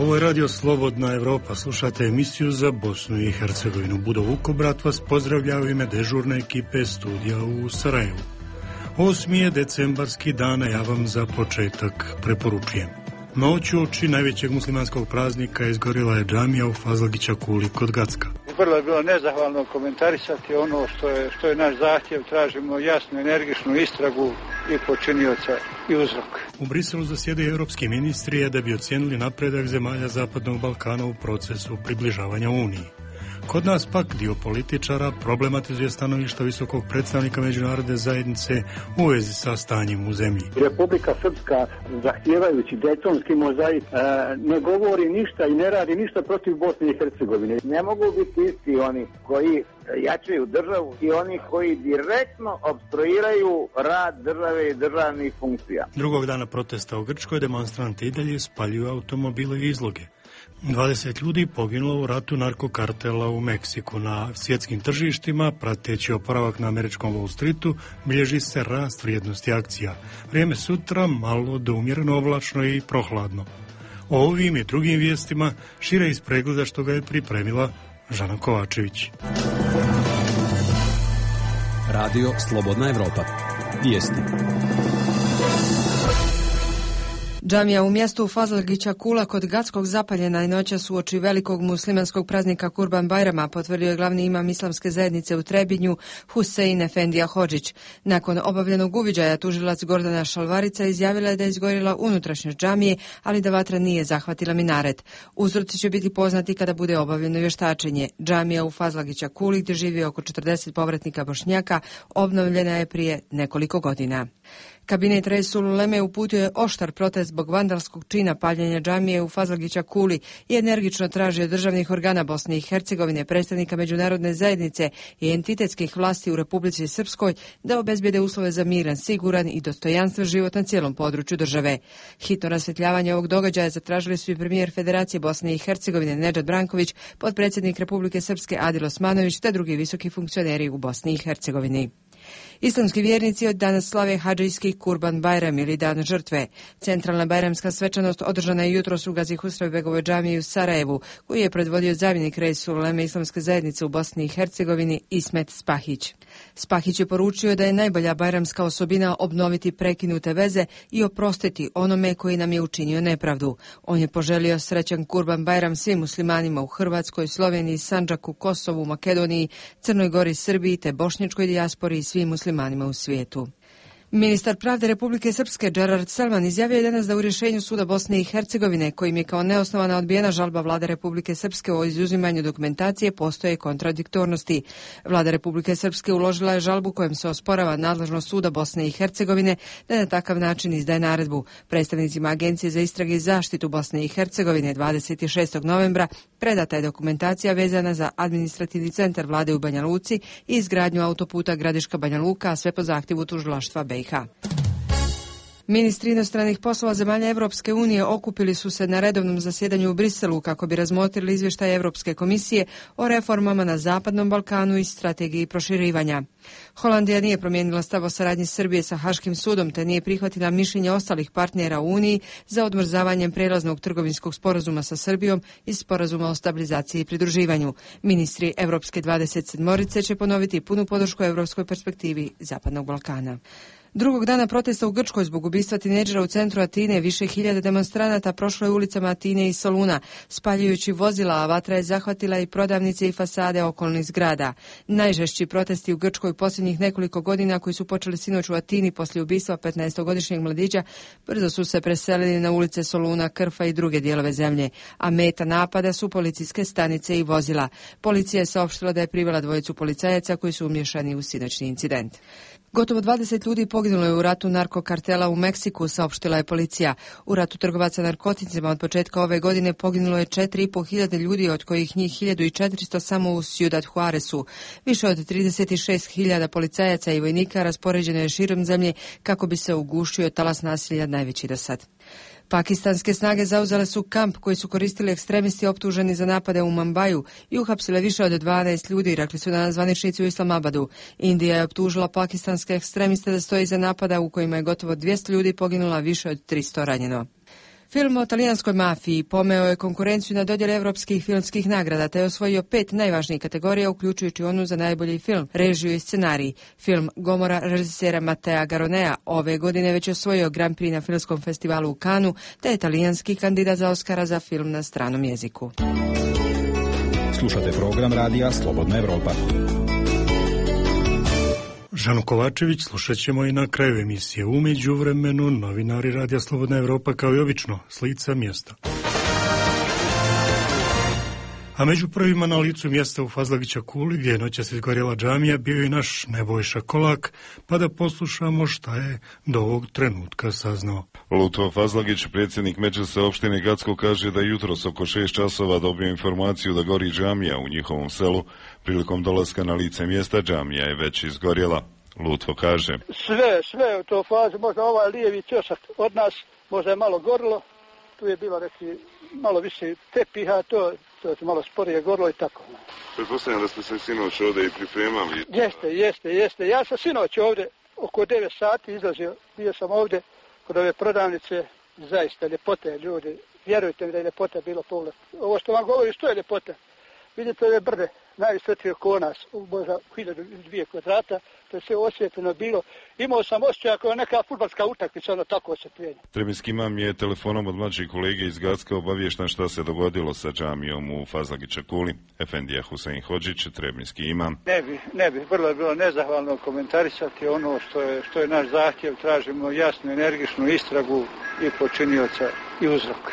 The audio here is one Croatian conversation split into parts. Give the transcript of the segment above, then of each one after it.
Ovo je radio Slobodna Evropa, slušate emisiju za Bosnu i Hercegovinu. Budo Vukobrat vas pozdravlja u ime dežurne ekipe studija u Sarajevu. 8. je decembarski dan, a ja vam za početak preporučujem. Noć uoči najvećeg muslimanskog praznika izgorila je džamija u Fazlagića Kuli kod Gacka. Vrlo je bilo nezahvalno komentarisati ono što je naš zahtjev. Tražimo jasnu, energičnu istragu i počinioca i uzrok. U Briselu zasjedaju europski ministri da bi ocijenili napredak zemalja Zapadnog Balkana u procesu približavanja Uniji. Kod nas pak dio političara problematizuje stanovišta visokog predstavnika međunarodne zajednice u vezi sa stanjem u zemlji. Republika Srpska, zahtijevajući Daytonski mozaik, ne govori ništa i ne radi ništa protiv Bosne i Hercegovine. Ne mogu biti isti oni koji jačaju državu i oni koji direktno opstruiraju rad države i državnih funkcija. Drugog dana protesta u Grčkoj demonstranti i dalje spaljuju automobile i izloge. 20 ljudi poginulo u ratu narkokartela u Meksiku. Na svjetskim tržištima, prateći oporavak na američkom Wall Streetu, bilježi se rast vrijednosti akcija. Vrijeme sutra malo do umjereno oblačno i prohladno. O ovim i drugim vijestima šire iz pregleda što ga je pripremila Žana Kovačević. Radio Slobodna Evropa. Vijesti. Džamija u mjestu Fazlagića Kula kod Gackog zapaljena je noćas uoči velikog muslimanskog praznika Kurban Bajrama, potvrdio je glavni imam islamske zajednice u Trebinju, Husein Efendija Hodžić. Nakon obavljenog uviđaja, tužilac Gordana Šalvarica izjavila je da je izgorila unutrašnjost džamije, ali da vatra nije zahvatila minaret. Uzroci će biti poznati kada bude obavljeno vještačenje. Džamija u Fazlagića Kuli, gdje živi oko 40 povratnika Bošnjaka, obnovljena je prije nekoliko godina. Kabinet Resul Uleme uputio je oštar protest zbog vandalskog čina paljenja džamije u Fazlagića Kuli i energično traži od državnih organa Bosne i Hercegovine, predstavnika međunarodne zajednice i entitetskih vlasti u Republici Srpskoj da obezbijede uslove za miran, siguran i dostojanstven život na cijelom području države. Hitno rasvjetljavanje ovog događaja zatražili su i premijer Federacije Bosne i Hercegovine Nedžad Branković, potpredsjednik Republike Srpske Adil Osmanović te drugi visoki funkcioneri u Bosni i Hercegovini. Islamski vjernici od danas slave hadžijski Kurban Bajram ili Dan žrtve. Centralna bajramska svečanost održana je jutros u Gazi Husrevbegovoj džamiji u Sarajevu, koju je predvodio zamjenik Resul Uleme islamske zajednice u Bosni i Hercegovini Ismet Spahić. Spahić je poručio da je najbolja bajramska osobina obnoviti prekinute veze i oprostiti onome koji nam je učinio nepravdu. On je poželio srećan Kurban Bajram svim muslimanima u Hrvatskoj, Sloveniji, Sandžaku, Kosovu, Makedoniji, Crnoj Gori, Srbiji te bošnjačkoj dijaspori i svim muslimanima u svijetu. Ministar pravde Republike Srpske Džerard Selman izjavio je danas da u rješenju suda Bosne i Hercegovine, kojim je kao neosnovana odbijena žalba vlade Republike Srpske o izuzimanju dokumentacije, postoje kontradiktornosti. Vlada Republike Srpske uložila je žalbu kojom se osporava nadležnost suda Bosne i Hercegovine da na takav način izdaje naredbu. Predstavnicima Agencije za istrage i zaštitu Bosne i Hercegovine 26. novembra predata je dokumentacija vezana za administrativni centar vlade u Banja Luci i izgradnju autoputa Gradiška-Banja Luka, a sve po zahtjevu tužilaštva BiH. Ministri inostranih poslova zemalja Evropske unije okupili su se na redovnom zasjedanju u Briselu kako bi razmotrili izvještaj Europske komisije o reformama na Zapadnom Balkanu i strategiji proširivanja. Holandija nije promijenila stav o saradnji Srbije sa Haškim sudom te nije prihvatila mišljenje ostalih partnera u Uniji za odmrzavanjem prelaznog trgovinskog sporazuma sa Srbijom i sporazuma o stabilizaciji i pridruživanju. Ministri Evropske 27 će ponoviti punu podršku europskoj perspektivi Zapadnog Balkana. Drugog dana protesta u Grčkoj zbog ubistva tinejdžera u centru Atine više hiljada demonstranata prošlo je ulicama Atine i Soluna, spaljujući vozila, a vatra je zahvatila i prodavnice i fasade okolnih zgrada. Najžešći protesti u Grčkoj posljednjih nekoliko godina, koji su počeli sinoć u Atini poslije ubistva 15-godišnjeg mladića, brzo su se preselili na ulice Soluna, Krfa i druge dijelove zemlje, a meta napada su policijske stanice i vozila. Policija je saopštila da je privela dvojicu policajaca koji su umiješani u sinoćni incident. Gotovo 20 ljudi poginulo je u ratu narkokartela u Meksiku, saopštila je policija. U ratu trgovaca narkoticima od početka ove godine poginulo je 4.500 ljudi, od kojih njih 1.400 samo u Ciudad Juarezu. Više od 36.000 policajaca i vojnika raspoređeno je širom zemlje kako bi se ugušio talas nasilja najveći do sad. Pakistanske snage zauzele su kamp koji su koristili ekstremisti optuženi za napade u Mumbaju i uhapsile više od 12 ljudi, rekli su danas zvaničnici u Islamabadu. Indija je optužila pakistanske ekstremiste da stoji iza napada u kojima je gotovo 200 ljudi poginula, više od 300 ranjeno. Film o talijanskoj mafiji pomeo je konkurenciju na dodjeli evropskih filmskih nagrada te je osvojio 5 najvažnijih kategorija, uključujući onu za najbolji film, režiju i scenarij. Film Gomora režisera Matea Garonea ove godine već osvojio Grand Prix na filmskom festivalu u Cannesu, te je talijanski kandidat za Oscara za film na stranom jeziku. Slušate program radija Slobodna Evropa. Žanu Kovačević slušat ćemo i na kraju emisije. U međuvremenu novinari Radija Slobodna Evropa kao i obično s lica mjesta. A među prvima na licu mjesta u Fazlagića Kuli, gdje je noćas izgorjela džamija, bio i naš Nebojša Kolak, pa da poslušamo šta je do ovog trenutka saznao. Lutvo Fazlagić, predsjednik Medžlisa opštine Gacko, kaže da jutros oko 6 časova dobio informaciju da gori džamija u njihovom selu. Prilikom dolaska na lice mjesta džamija je već izgorjela. Lutvo kaže: Sve u toj fazi, možda ovaj lijevi ćošak od nas, možda je malo gorilo, tu je bilo malo više tepiha, to je malo sporije gorilo i tako. Pretpostavljam da ste se sinoć ovdje i pripremali. Jeste. Ja sam sinoć ovdje oko 9 sati izlazio, bio sam ovdje kod ove prodavnice, zaista ljepote ljudi. Vjerujte mi da je ljepota bilo pogled. Ovo što vam govori, što je ljepota? Vidite ove brde, najvisotrije oko nas, možda 1002 kvadrata, to je sve osvjetljeno bilo. Imao sam osjećaj kao neka fudbalska utakmica, ono tako osvjetljenje. Trebinski imam je telefonom od mlađih kolege iz Gacka obaviješten šta se dogodilo sa džamijom u Fazlagića Kuli. Efendija Husein Hodžić, Trebinski imam. Ne bi, vrlo je bilo nezahvalno komentarisati ono što je naš zahtjev. Tražimo jasnu, energičnu istragu i počinioca i uzrok.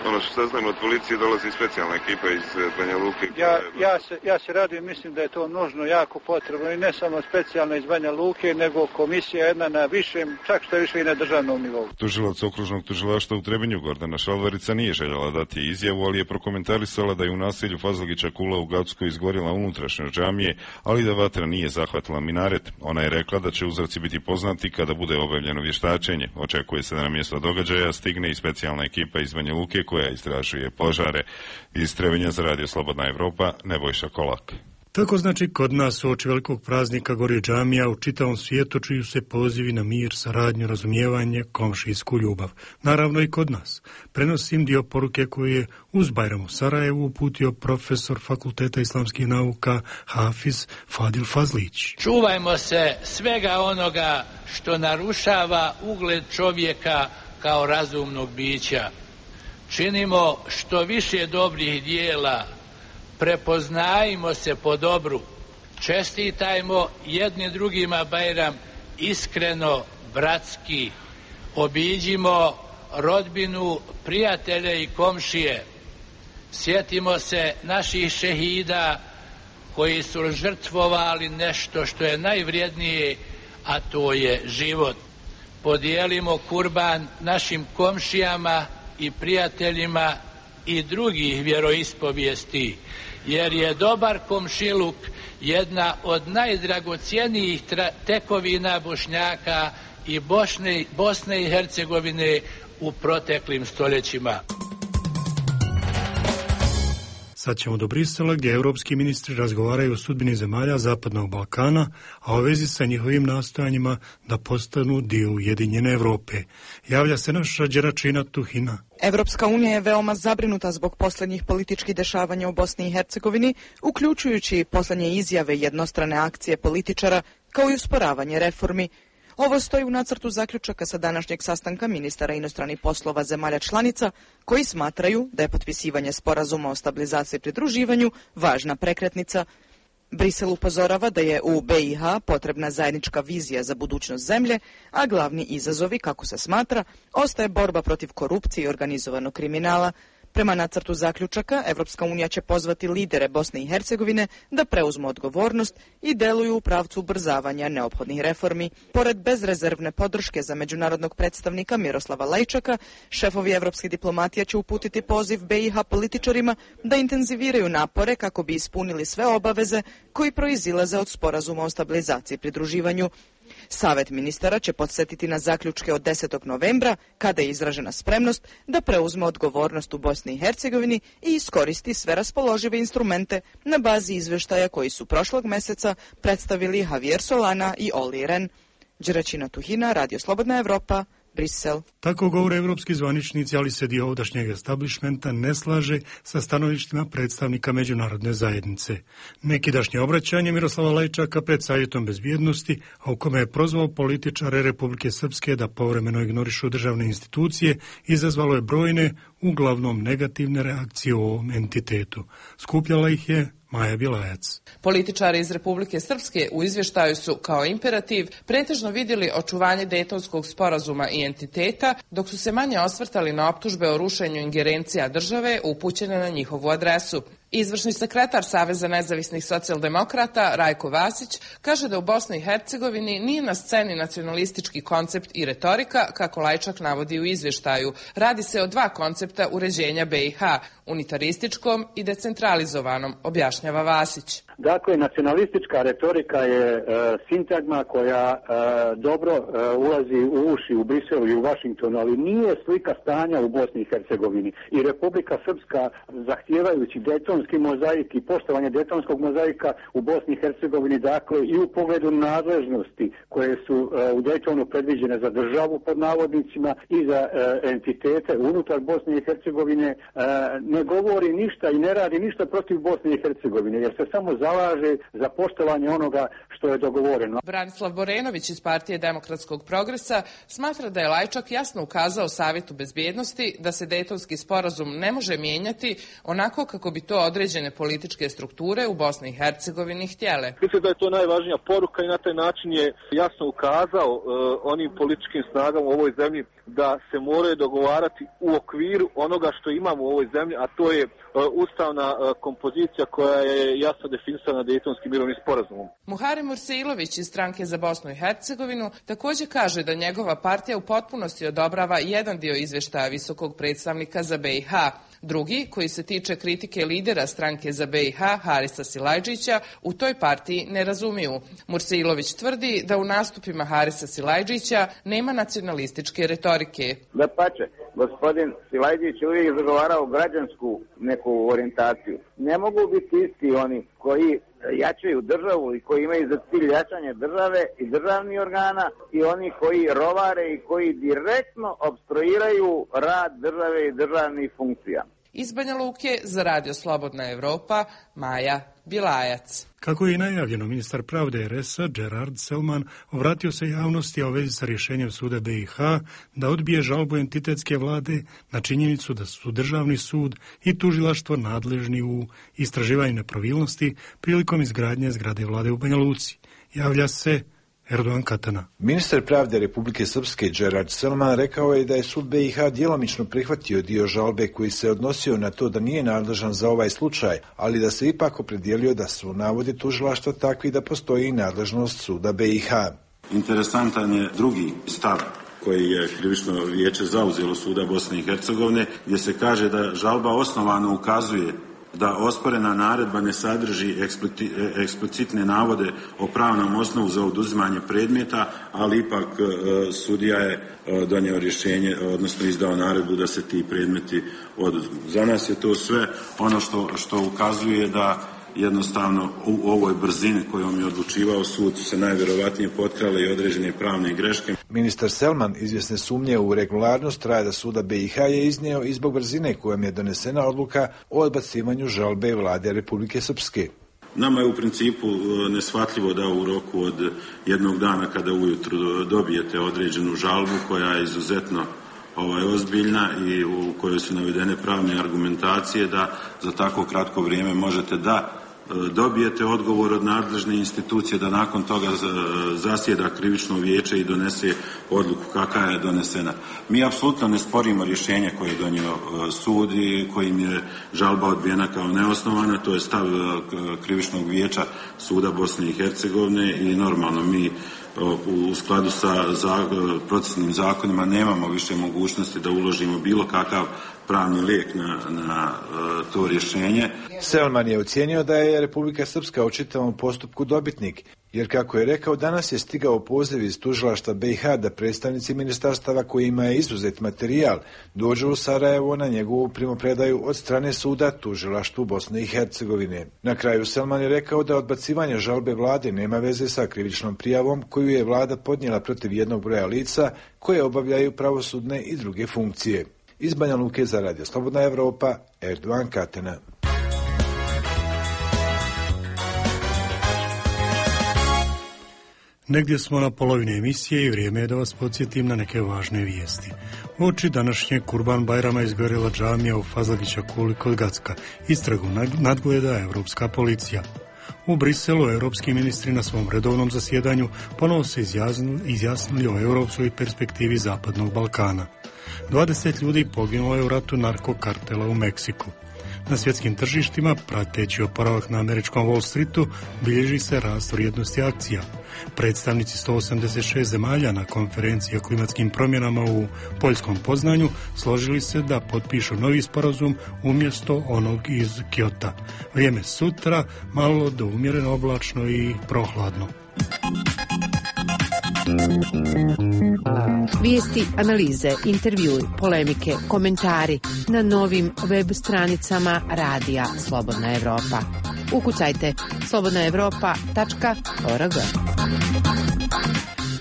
Ono što saznamo od policije, dolazi specijalna ekipa iz Banja Luke. Ja se radim, mislim da je to nužno, jako potrebno i ne samo specijalna iz Banja Luke, nego komisija jedna na višem, čak što je više i na državnom nivou. Tužilac okružnog tužilaštva u Trebinju Gordana Šalvarica nije željela dati izjavu, ali je prokomentarisala da je u naselju Fazlagića Kula u Gacku izgorjela unutrašnjost džamije, ali da vatra nije zahvatila minaret. Ona je rekla da će uzroci biti poznati kada bude obavljeno vještačenje. Očekuje se da na mjesto događaja stigne i specijalna ekipa iz Banja Luke koja istražuje požare. Iz Trebinja za Radio Slobodna Evropa, Nebojša Kolak. Tako znači kod nas uoči velikog praznika gori džamija, u čitavom svijetu čuju se pozivi na mir, saradnju, razumijevanje, komšijsku ljubav. Naravno i kod nas. Prenosim dio poruke koju je uz Bajram u Sarajevu uputio profesor Fakulteta islamskih nauka Hafiz Fadil Fazlić. Čuvajmo se svega onoga što narušava ugled čovjeka kao razumnog bića. Činimo što više dobrih dijela, prepoznajmo se po dobru, čestitajmo jedni drugima Bajram iskreno, bratski, obiđimo rodbinu, prijatelje i komšije, sjetimo se naših šehida koji su žrtvovali nešto što je najvrijednije, a to je život. Podijelimo kurban našim komšijama i prijateljima i drugih vjeroispovijesti, jer je dobar komšiluk jedna od najdragocjenijih tekovina Bošnjaka i Bosne i Hercegovine u proteklim stoljećima. Sad ćemo do Brisela, gdje europski ministri razgovaraju o sudbini zemalja Zapadnog Balkana, a o vezi sa njihovim nastojanjima da postanu dio Ujedinjene Evrope. Javlja se naša Đeračina Tuhina. Evropska unija je veoma zabrinuta zbog posljednjih političkih dešavanja u Bosni i Hercegovini, uključujući posljednje izjave i jednostrane akcije političara, kao i usporavanje reformi. Ovo stoji u nacrtu zaključaka sa današnjeg sastanka ministara inostranih poslova zemalja članica, koji smatraju da je potpisivanje sporazuma o stabilizaciji i pridruživanju važna prekretnica. Brisel upozorava da je u BiH potrebna zajednička vizija za budućnost zemlje, a glavni izazovi, kako se smatra, ostaje borba protiv korupcije i organizovanog kriminala. Prema nacrtu zaključaka, Evropska unija će pozvati lidere Bosne i Hercegovine da preuzmu odgovornost i deluju u pravcu ubrzavanja neophodnih reformi. Pored bezrezervne podrške za međunarodnog predstavnika Miroslava Lajčaka, šefovi evropske diplomatije će uputiti poziv BiH političarima da intenziviraju napore kako bi ispunili sve obaveze koji proizilaze od sporazuma o stabilizaciji i pridruživanju. Savet ministara će podsjetiti na zaključke od 10. novembra, kada je izražena spremnost da preuzme odgovornost u Bosni i Hercegovini i iskoristi sve raspoložive instrumente na bazi izvještaja koji su prošlog mjeseca predstavili Javier Solana i Olli Rehn. Đeračina Tuhina, Radio Slobodna Evropa, Brisel. Tako govore evropski zvaničnici, ali se dio ovdašnjeg establishmenta ne slaže sa stanovištima predstavnika međunarodne zajednice. Nekidašnje obraćanje Miroslava Lajčaka pred Savjetom bezbjednosti, a u kome je prozvao političare Republike Srpske da povremeno ignorišu državne institucije, izazvalo je brojne, uglavnom negativne reakcije u ovom entitetu. Skupljala ih je Maja Bilajac. Političari iz Republike Srpske u izvještaju su kao imperativ pretežno vidjeli očuvanje Dejtonskog sporazuma i entiteta, dok su se manje osvrtali na optužbe o rušenju ingerencija države upućene na njihovu adresu. Izvršni sekretar Saveza nezavisnih socijaldemokrata Rajko Vasić kaže da u Bosni i Hercegovini nije na sceni nacionalistički koncept i retorika, kako Lajčak navodi u izvještaju. Radi se o dva koncepta uređenja BiH, unitarističkom i decentralizovanom, objašnjava Vasić. Dakle, nacionalistička retorika je sintagma koja dobro ulazi u uši u Briselu i u Vašingtonu, ali nije slika stanja u Bosni i Hercegovini. I Republika Srpska, zahtijevajući Dejtonski mozaik i poštovanje Dejtonskog mozaika u Bosni i Hercegovini, dakle i u pogledu nadležnosti koje su u Dejtonu predviđene za državu pod navodnicima i za entitete unutar Bosne i Hercegovine, ne govori ništa i ne radi ništa protiv Bosne i Hercegovine, jer se samo zalaže za poštovanje onoga što je dogovoreno. Branislav Borenović iz Partije demokratskog progresa smatra da je Lajčak jasno ukazao Savjetu bezbjednosti da se Dejtonski sporazum ne može mijenjati onako kako bi to određene političke strukture u Bosni i Hercegovini htjele. Mislim da je to najvažnija poruka i na taj način je jasno ukazao onim političkim snagama u ovoj zemlji da se moraju dogovarati u okviru onoga što imamo u ovoj zemlji, a to je ustavna kompozicija koja je jasno definisana Dejtonskim mirovnim sporazumom. Muharem Murseilović iz Stranke za Bosnu i Hercegovinu također kaže da njegova partija u potpunosti odobrava jedan dio izvještaja visokog predstavnika za BiH. Drugi, koji se tiče kritike lidera Stranke za BiH, Harisa Silajdžića, u toj partiji ne razumiju. Murseilović tvrdi da u nastupima Harisa Silajdžića nema nacionalističke retorike. Dapače, gospodin Silajdžić uvijek zagovarao građansku neku orijentaciju. Ne mogu biti isti oni koji jačaju državu i koji imaju za cilj jačanje države i državnih organa i oni koji rovare i koji direktno opstruiraju rad države i državnih funkcija. Iz Banja Luke za Radio Slobodna Evropa, Maja Bilajac. Kako je i najavljeno, ministar pravde RS-a Gerard Selman obratio se javnosti o vezi sa rješenjem suda BiH da odbije žalbu entitetske vlade na činjenicu da su državni sud i tužilaštvo nadležni u istraživanju nepravilnosti prilikom izgradnje zgrade vlade u Banja Luci. Javlja se Erdogan Katana. Ministar pravde Republike Srpske Gerard Selman rekao je da je sud BiH djelomično prihvatio dio žalbe koji se odnosio na to da nije nadležan za ovaj slučaj, ali da se ipak opredijelio da su navodi tužilaštva takvi da postoji nadležnost suda BiH. Interesantan je drugi stav koji je krivično vijeće zauzelo suda Bosne i Hercegovine, gdje se kaže da žalba osnovano ukazuje da osporena naredba ne sadrži eksplicitne navode o pravnom osnovu za oduzimanje predmeta, ali ipak sudija je donio rješenje, odnosno izdao naredbu da se ti predmeti oduzmu. Za nas je to sve ono što ukazuje da jednostavno u ovoj brzini kojom je odlučivao sud se najvjerovatnije potkrale i određene pravne greške. Ministar Selman izvjesne sumnje u regularnost rada suda BiH je iznio i zbog brzine kojom je donesena odluka o odbacivanju žalbe vlade Republike Srpske. Nama je u principu neshvatljivo da u roku od jednog dana kada ujutru dobijete određenu žalbu koja je izuzetno ozbiljna i u kojoj su navedene pravne argumentacije, da za tako kratko vrijeme možete da dobijete odgovor od nadležne institucije, da nakon toga zasjeda krivično vijeće i donese odluku kakva je donesena. Mi apsolutno ne sporimo rješenje koje je donio sud i kojim je žalba odbijena kao neosnovana, to je stav krivičnog vijeća suda Bosne i Hercegovine i normalno mi u skladu sa procesnim zakonima nemamo više mogućnosti da uložimo bilo kakav pravni lijek na to rješenje. Selman je ocijenio da je Republika Srpska u čitavom postupku dobitnik Jer kako je rekao, danas je stigao poziv iz tužilaštva BiH da predstavnici ministarstava kojima je izuzet materijal dođu u Sarajevo na njegovu primopredaju od strane suda tužilaštvu Bosne i Hercegovine. Na kraju Selman je rekao da odbacivanje žalbe vlade nema veze sa krivičnom prijavom koju je vlada podnijela protiv jednog broja lica koje obavljaju pravosudne i druge funkcije. Iz Banja Luke za Radio Slobodna Evropa, Erdogan Katena. Negdje smo na polovini emisije i vrijeme je da vas podsjetim na neke važne vijesti. Uoči današnje Kurban Bajrama izgorjela džamija u Fazlagića Kuli kod Gacka. Istragu nadgleda Europska policija. U Briselu europski ministri na svom redovnom zasjedanju ponovo se izjasnili o europskoj perspektivi Zapadnog Balkana. 20 ljudi poginulo je u ratu narkokartela u Meksiku. Na svjetskim tržištima, prateći oporavak na američkom Wall Streetu, bilježi se rast vrijednosti akcija. Predstavnici 186 zemalja na konferenciji o klimatskim promjenama u Poljskom Poznanju složili se da potpišu novi sporazum umjesto onog iz Kyota. Vrijeme sutra malo do umjereno oblačno i prohladno. Vijesti, analize, intervjui, polemike, komentari na novim web stranicama Radija Slobodna Evropa. Ukucajte slobodnaevropa.org.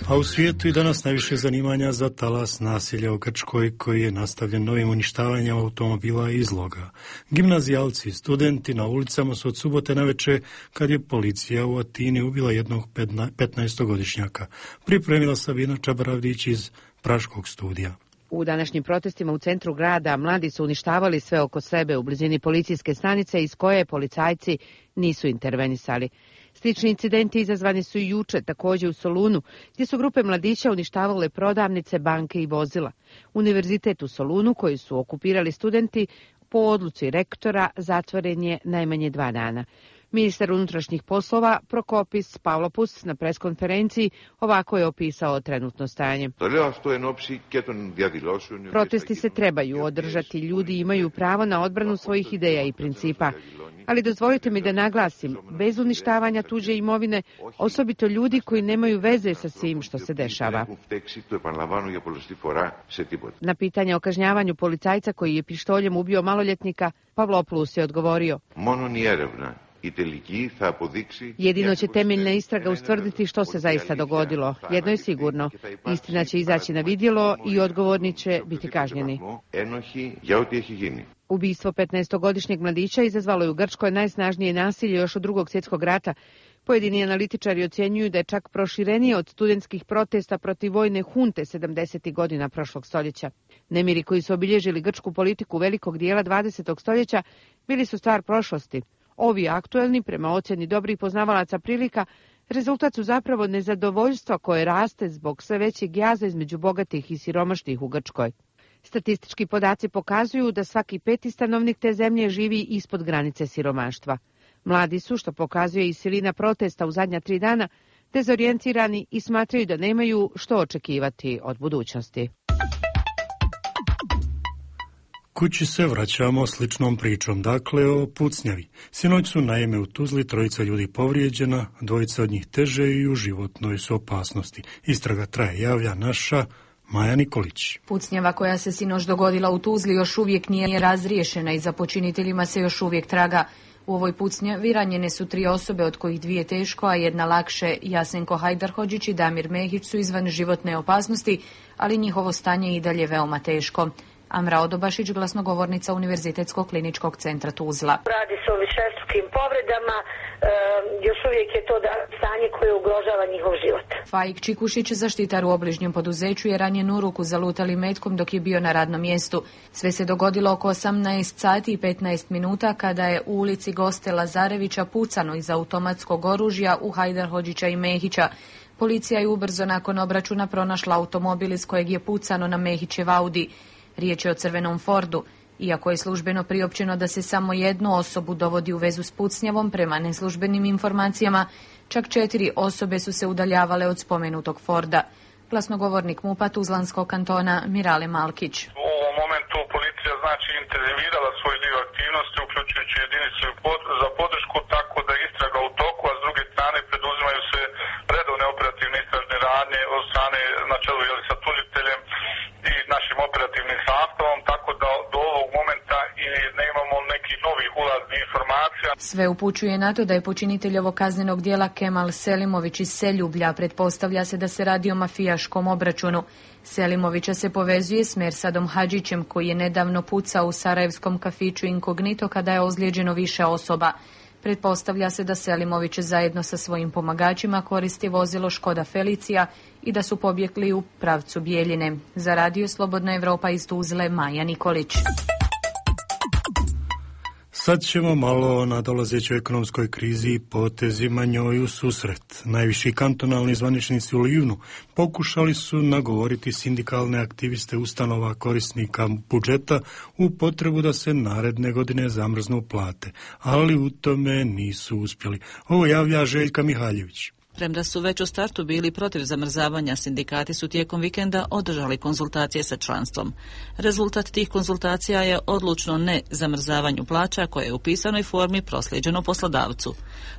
A u svijetu i danas najviše zanimanja za talas nasilja u Grčkoj koji je nastavljen novim uništavanjem automobila i izloga. Gimnazijalci i studenti na ulicama su od subote navečer kad je policija u Atini ubila jednog 15-godišnjaka. Pripremila Sabina Čabaravdić iz Praškog studija. U današnjim protestima u centru grada mladi su uništavali sve oko sebe u blizini policijske stanice iz koje policajci nisu intervenisali. Slični incidenti izazvani su i juče, također u Solunu, gdje su grupe mladića uništavale prodavnice, banke i vozila. Univerzitet u Solunu, koji su okupirali studenti, po odluci rektora zatvoren je najmanje 2 dana. Ministar unutrašnjih poslova Prokopis Pavlopoulos na preskonferenciji ovako je opisao trenutno stanje. Protesti se trebaju održati, ljudi imaju pravo na odbranu svojih ideja i principa. Ali dozvolite mi da naglasim, bez uništavanja tuđe imovine, osobito ljudi koji nemaju veze sa svim što se dešava. Na pitanje o kažnjavanju policajca koji je pištoljem ubio maloljetnika, Pavlopoulos je odgovorio: jedino će temeljna istraga ustvrditi što se zaista dogodilo. Jedno je sigurno, istina će izaći na vidjelo i odgovorni će biti kažnjeni. Ubistvo 15-godišnjeg mladića izazvalo je u Grčkoj najsnažnije nasilje još od Drugog svjetskog rata. Pojedini analitičari ocjenjuju da je čak proširenije od studentskih protesta protiv vojne hunte 70. godina prošlog stoljeća. Nemiri koji su obilježili grčku politiku velikog dijela 20. stoljeća bili su stvar prošlosti. Ovi aktuelni, prema ocjeni dobrih poznavalaca prilika, rezultat su zapravo nezadovoljstva koje raste zbog sve većeg jaza između bogatih i siromašnih u Grčkoj. Statistički podaci pokazuju da svaki 5. stanovnik te zemlje živi ispod granice siromaštva. Mladi su, što pokazuje i silina protesta u zadnja 3 dana, dezorijentirani i smatraju da nemaju što očekivati od budućnosti. Kući se vraćamo sličnom pričom, dakle o pucnjavi. Sinoć su naime u Tuzli 3 ljudi povrijeđena, 2 od njih teže i u životnoj su opasnosti. Istraga traje, javlja naša Maja Nikolić. Pucnjava koja se sinoć dogodila u Tuzli još uvijek nije razriješena i za počiniteljima se još uvijek traga. U ovoj pucnjavi ranjene su 3 osobe, od kojih 2 teško, a 1 lakše. Jasenko Hajdarhodžić i Damir Mehić su izvan životne opasnosti, ali njihovo stanje je i dalje veoma teško. Amra Odobašić, glasnogovornica Univerzitetskog kliničkog centra Tuzla. Radi se o višestrukim povredama, još uvijek je to stanje koje ugrožava njihov život. Faik Čikušić, zaštitar u obližnjem poduzeću, je ranjen u ruku zalutalim metkom dok je bio na radnom mjestu. Sve se dogodilo oko 18 sati i 15 minuta kada je u ulici Goste Lazarevića pucano iz automatskog oružja u Hajdarhodžića i Mehića. Policija je ubrzo nakon obračuna pronašla automobil iz kojeg je pucano na Mehićev Audi. Riječ je o crvenom Fordu. Iako je službeno priopćeno da se samo 1 osobu dovodi u vezu s pucnjavom, prema neslužbenim informacijama, čak 4 osobe su se udaljavale od spomenutog Forda. Glasnogovornik MUP-a Tuzlanskog kantona Mirale Malkić. U ovom momentu policija intenzivirala svoj dio aktivnosti, uključujući jedinicu za podršku, tako da istraga u toku, a s druge strane preduzimaju se Sve upućuje na to da je počinitelj ovog kaznenog djela Kemal Selimović iz Seljublja. Pretpostavlja se da se radi o mafijaškom obračunu. Selimovića se povezuje s Mersadom Hadžićem, koji je nedavno pucao u sarajevskom kafiću Inkognito kada je ozlijeđeno više osoba. Pretpostavlja se da Selimović zajedno sa svojim pomagačima koristi vozilo Škoda Felicia i da su pobjegli u pravcu Bijeljine. Za Radio Slobodna Evropa iz Tuzle, Maja Nikolić. Sad ćemo malo o nadolazećoj ekonomskoj krizi i potezima njoj u susret. Najviši kantonalni zvaničnici u Livnu pokušali su nagovoriti sindikalne aktiviste ustanova korisnika budžeta u potrebu da se naredne godine zamrznu plate, ali u tome nisu uspjeli. Ovo javlja Željka Mihaljević. Premda su već u startu bili protiv zamrzavanja, sindikati su tijekom vikenda održali konzultacije sa članstvom. Rezultat tih konzultacija je odlučno ne zamrzavanju plaća koje je u pisanoj formi proslijeđeno poslodavcu.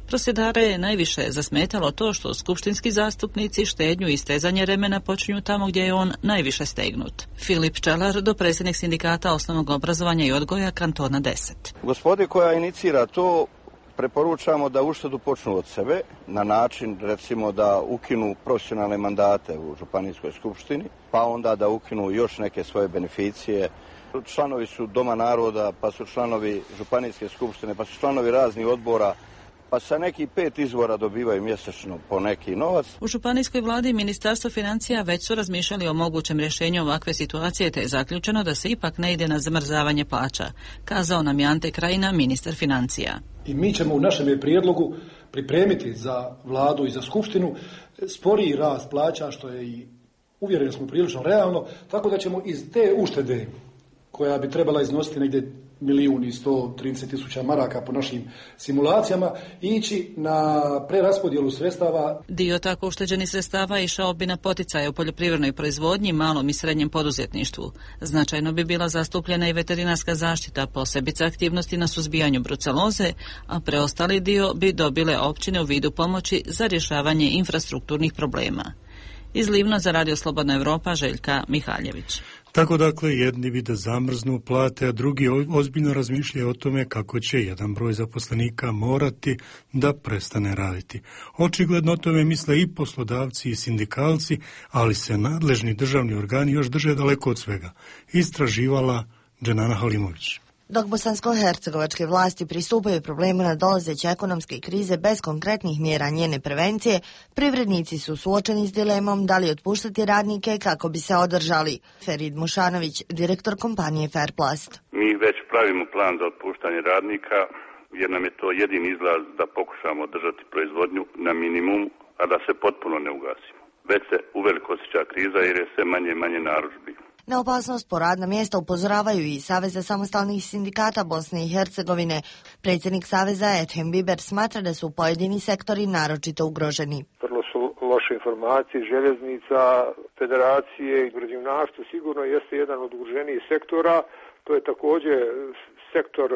Prosvjedare je najviše zasmetalo to što skupštinski zastupnici štednju i stezanje remena počinju tamo gdje je on najviše stegnut. Filip Čelar, dopredsjednik sindikata osnovnog obrazovanja i odgoja kantona 10. Gospodi koja inicira to, preporučamo da uštedu počnu od sebe na način, recimo, da ukinu profesionalne mandate u Županijskoj skupštini, pa onda da ukinu još neke svoje beneficije. Članovi su Doma naroda, pa su članovi Županijske skupštine, pa su članovi raznih odbora, pa sa nekih 5 izvora dobivaju mjesečno po neki novac. U Županijskoj vladi i Ministarstvo financija već su razmišljali o mogućem rješenju ovakve situacije, te je zaključeno da se ipak ne ide na zamrzavanje plaća, kazao nam je Ante Krajina, ministar financija. I mi ćemo u našem prijedlogu pripremiti za vladu i za skupštinu sporiji rast plaća, što je i uvjereni smo prilično realno, tako da ćemo iz te uštede, koja bi trebala iznositi negdje 1.130.000 maraka po našim simulacijama, ići na preraspodjelu sredstava. Dio tako ušteđenih sredstava išao bi na poticaje u poljoprivrednoj proizvodnji, malom i srednjem poduzetništvu. Značajno bi bila zastupljena i veterinarska zaštita, posebice aktivnosti na suzbijanju bruceloze, a preostali dio bi dobile općine u vidu pomoći za rješavanje infrastrukturnih problema. Iz Livna za Radio Slobodna Evropa, Željka Mihaljević. Tako dakle, jedni bi da zamrznu plate, a drugi ozbiljno razmišljaju o tome kako će jedan broj zaposlenika morati da prestane raditi. Očigledno o tome misle i poslodavci i sindikalci, ali se nadležni državni organi još drže daleko od svega. Istraživala Dženana Halimović. Dok bosansko-hercegovačke vlasti pristupaju problemu nadolazeće ekonomske krize bez konkretnih mjera njene prevencije, privrednici su suočeni s dilemom da li otpuštati radnike kako bi se održali. Ferid Mušanović, direktor kompanije Fairplast. Mi već pravimo plan za otpuštanje radnika, jer nam je to jedini izlaz da pokušamo održati proizvodnju na minimum, a da se potpuno ne ugasimo. Već se uveliko osjeća kriza jer je sve manje i manje narudžbi. Na opasnost po radna mjesta upozoravaju i Saveza samostalnih sindikata Bosne i Hercegovine. Predsjednik Saveza Ethem Biber smatra da su pojedini sektori naročito ugroženi. Vrlo su loše informacije, željeznica, federacije i građevinarstvo sigurno jeste jedan od ugroženijih sektora. To je također sektor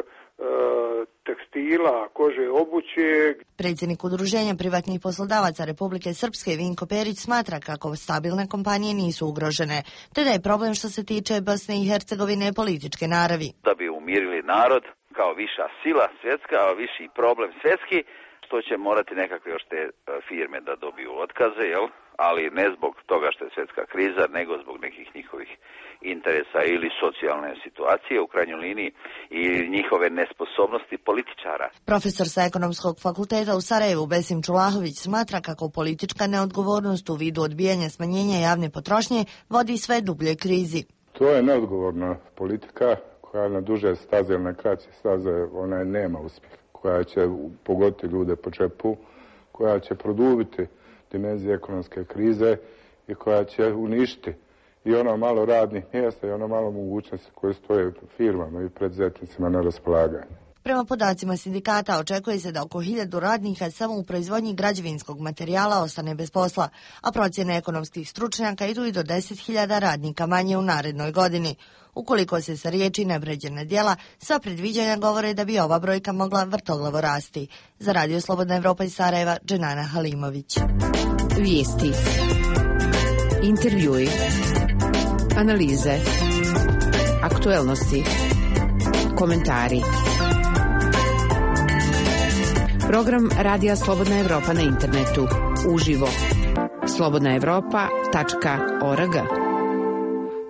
tekstila, kože, obuće. Predsjednik Udruženja privatnih poslodavaca Republike Srpske Vinko Perić smatra kako stabilne kompanije nisu ugrožene, te da je problem što se tiče Bosne i Hercegovine političke naravi. Da bi umirili narod kao viša sila svjetska, a viši problem svjetski, što će morati nekakve još te firme da dobiju otkaze, jel? Ali ne zbog toga što je svjetska kriza, nego zbog nekih njihovih interesa ili socijalne situacije u krajnjoj liniji i njihove nesposobnosti političara. Profesor sa Ekonomskog fakulteta u Sarajevu Besim Čulahović smatra kako politička neodgovornost u vidu odbijanja smanjenja javne potrošnje vodi sve dublje krizi. To je neodgovorna politika koja na duže staze ili na kraće staze ona nema uspjeha, koja će pogoditi ljude po džepu, koja će produbiti dimenzije ekonomske krize i koja će uništiti i ono malo radnih mjesta i ono malo mogućnosti koje stoje firmama i preduzetnicima na raspolaganju. Prema podacima sindikata očekuje se da oko 1000 radnika samo u proizvodnji građevinskog materijala ostane bez posla, a procjene ekonomskih stručnjaka idu i do 10.000 radnika manje u narednoj godini. Ukoliko se sa riječi ne pređe na djela, sva predviđanja govore da bi ova brojka mogla vrtoglavo rasti. Za Radio Slobodna Evropa iz Sarajeva, Dženana Halimović. Vijesti, intervjui, analize, aktuelnosti, komentari. Program Radija Slobodna Evropa na internetu. Uživo. slobodnaevropa.org.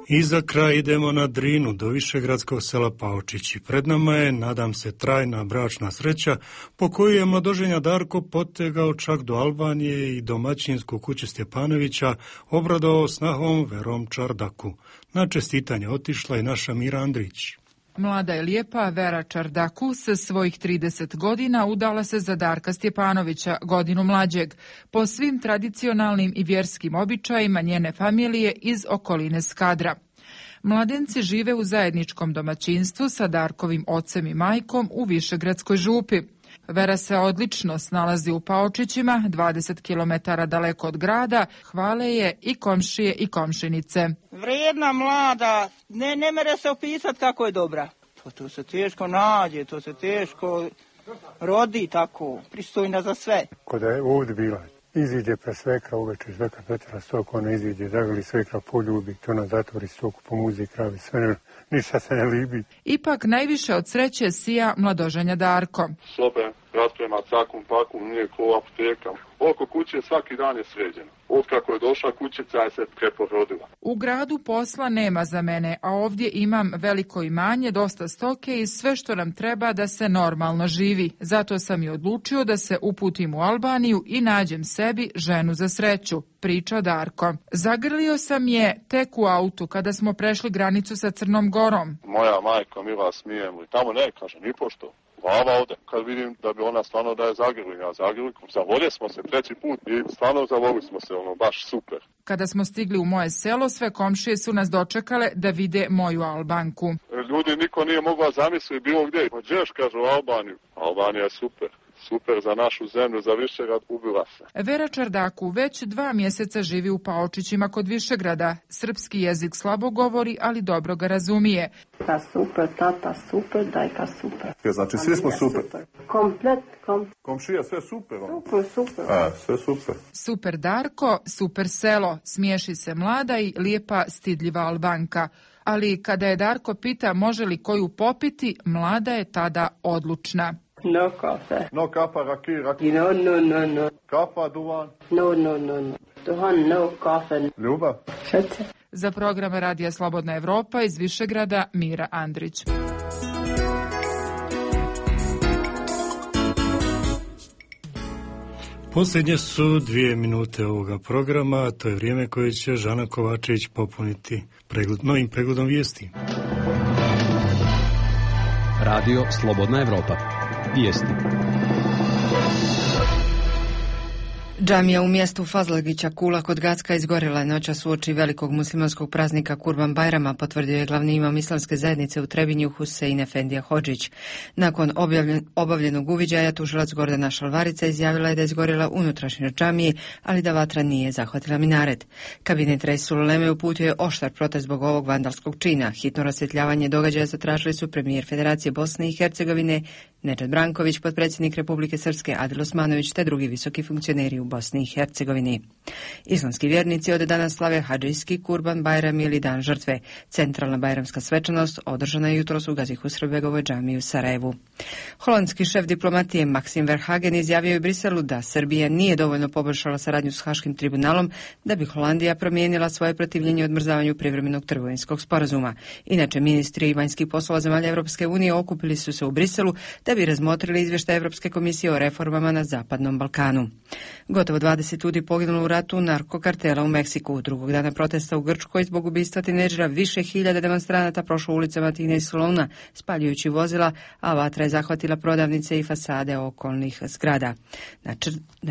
I za kraj idemo na Drinu do višegradskog sela Paočići. Pred nama je, nadam se, trajna bračna sreća po kojoj je mladoženja Darko potegao čak do Albanije i domaćinsku kuću Stjepanovića obradovao snahom Verom Čardaku. Na čestitanje otišla i naša Mira Andrić. Mlada i lijepa Vera Čardaku sa svojih 30 godina udala se za Darka Stjepanovića, godinu mlađeg, po svim tradicionalnim i vjerskim običajima njene familije iz okoline Skadra. Mladenci žive u zajedničkom domaćinstvu sa Darkovim ocem i majkom u Višegradskoj župi. Vera se odlično snalazi u Paočićima, 20 km daleko od grada, hvale je i komšije i komšinice. Vrijedna, mlada, ne mere se opisati kako je dobra. To se teško nađe, to se teško rodi tako, pristojna za sve. Kada je ovdje bila, iziđe pre svekra uveče, svekra pretjela stok, ona iziđe, zagrli svekra poljubi, to ona zatvori stoku, pomuzi kravi, sve ništa se ne libi. Ipak najviše od sreće sija mladoženja Darko. Sobe rasprema cakum pakum, nije ko apoteka. Oko kuće svaki dan je sređeno. Od kako je došla kućica je se preporodila. U gradu posla nema za mene, a ovdje imam veliko imanje, dosta stoke i sve što nam treba da se normalno živi. Zato sam i odlučio da se uputim u Albaniju i nađem sebi ženu za sreću, priča Darko. Zagrlio sam je tek u autu kada smo prešli granicu sa Crnom Gorom. Moja majka Mila smije mu i tamo ne kaže ni pošto. Glava ode. Kad vidim da bi ona stvarno da je zagrlim, ja zagrlim, zavolje smo se 3. put i stvarno zavolili smo se, baš super. Kada smo stigli u moje selo, sve komšije su nas dočekale da vide moju Albanku. Ljudi niko nije mogla zamisliti bilo gdje. Gdješ, kažu, Albaniju. Albanija je super. Super za našu zemlju, za Višegrad, ubila se. Vera Čardaku već 2 mjeseca živi u Paočićima kod Višegrada. Srpski jezik slabo govori, ali dobro ga razumije. Ta super, tata super, dajka super. Znači, svi smo super. Komplet. Komšija, sve super. Super. Sve super. Super Darko, super selo, smiješi se mlada i lijepa stidljiva Albanka. Ali kada je Darko pita može li koju popiti, mlada je tada odlučna. No kafe. No kapa, raki. No. Kapa, duvan. No. Duvan, no kafe. Ljubav. Srce. Za program Radija Slobodna Evropa iz Višegrada, Mira Andrić. Posljednje su 2 minute ovoga programa, to je vrijeme koje će Žana Kovačević popuniti novim pregledom vijesti. Radio Slobodna Evropa. Vijesti. Džamija u mjestu Fazlagića Kula kod Gacka izgorjela je noćas uoči velikog muslimanskog praznika Kurban Bajrama, potvrdio je glavni imam islamske zajednice u Trebinju Husein Efendija Hodžić. Nakon obavljenog uviđaja tužilac Gordana Šalvarica izjavila je da je izgorjela unutrašnjost džamije, ali da vatra nije zahvatila minaret. Kabinet Reisul Uleme uputio je oštar protest zbog ovog vandalskog čina. Hitno rasvjetljavanje događaja zatražili su premijer Federacije Bosne i Hercegovine Nedžad Branković, potpredsjednik Republike Srpske Adil Osmanović te drugi visoki funkcioneri u Bosni i Hercegovini. Islamski vjernici od danas slave hadžijski Kurban Bajram ili Dan žrtve. Centralna bajramska svečanost održana je jutros u Gazi Husrebegovoj džamiji u Sarajevu. Holandski šef diplomatije Maxim Verhagen izjavio je u Briselu da Srbija nije dovoljno poboljšala saradnju s Haškim tribunalom da bi Holandija promijenila svoje protivljenje odmrzavanju privremenog trgovinskog sporazuma. Inače, ministri i vanjskih poslova zemalja Europske unije okupili su se u Briselu da bi razmotrili izvještaj Europske komisije o reformama na Zapadnom Balkanu. Gotovo 20 ljudi poginulo u ratu narkokartela u Meksiku. Drugog dana protesta u Grčkoj zbog ubistva tinejdžera više hiljada demonstranata prošlo ulicama Tine i Soluna, spaljujući vozila, a vatra je zahvatila prodavnice i fasade okolnih zgrada. Na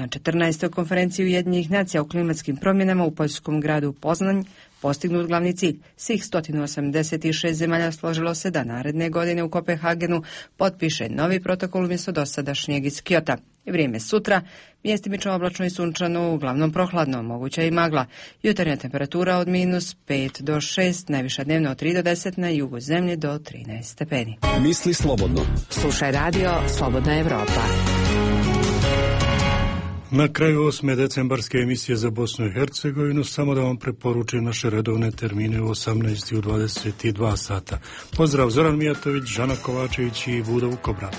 14. konferenciji Ujedinjenih nacija o klimatskim promjenama u poljskom gradu Poznanj postignut glavni cilj. Svih 186 zemalja složilo se da naredne godine u Kopenhagenu potpiše novi protokol umjesto dosadašnjeg iz Kyota. Vrijeme sutra, mjestimično oblačno i sunčano, uglavnom prohladno, moguća i magla. Jutarnja temperatura od -5 do 6, najviša dnevna od 3 do 10, na jugu zemlje do 13 stepeni. Misli slobodno. Slušaj Radio Slobodna Evropa. Na kraju 8. decembarske emisije za Bosnu i Hercegovinu samo da vam preporučim naše redovne termine u 18 i u 22 sata. Pozdrav, Zoran Mijatović, Žana Kovačević i Vuda Vukobra.